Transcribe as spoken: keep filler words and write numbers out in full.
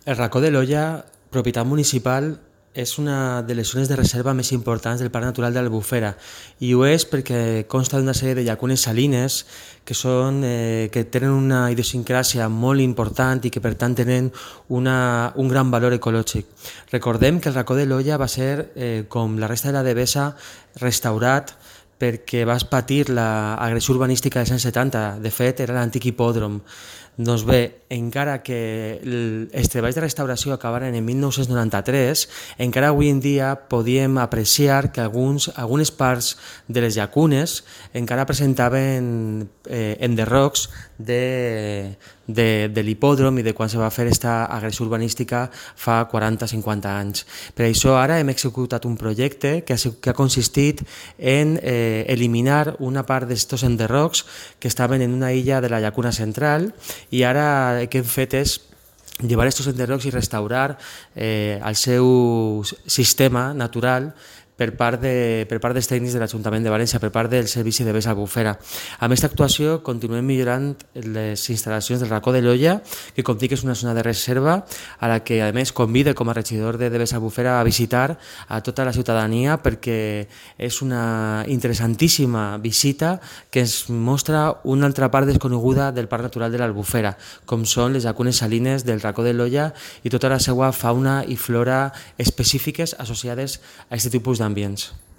El Racó de l'Olla, propietat municipal, és una de les zones de reserva més importants del Parc Natural de l'Albufera i ho és perquè consta d'una sèrie de llacunes salines que, són, eh, que tenen una idiosincràsia molt important i que per tant tenen una, un gran valor ecològic. Recordem que el Racó de l'Olla va ser, eh, com la resta de la Devesa, restaurat perquè vas patir l'agressió urbanística dels anys setanta. De fet, era l'antic hipòdrom. Doncs bé, encara que els treballs de restauració acabaren en mil nou-cents noranta-tres, encara avui en dia podíem apreciar que alguns, algunes parts de les llacunes encara presentaven eh, enderrocs de, de, de l'hipòdrom i de quan se va fer aquesta agressió urbanística fa quaranta o cinquanta anys. Per això ara hem executat un projecte que ha, que ha consistit en eh, eliminar una part d'estos enderrocs que estaven en una illa de la llacuna central i ara el que hem fet és llevar estos enderrocs i restaurar eh, el seu sistema natural per part, de, per part dels tècnics de l'Ajuntament de València, per part del Servici de Vés Albufera. Amb aquesta actuació continuem millorant les instal·lacions del Racó de l'Olla, que com dic és una zona de reserva a la que a més convida com a regidor de Vés Albufera a visitar a tota la ciutadania perquè és una interessantíssima visita que ens mostra una altra part desconeguda del Parc Natural de l'Albufera, com són les llacunes salines del Racó de l'Olla i tota la seva fauna i flora específiques associades a aquest tipus d'ambients.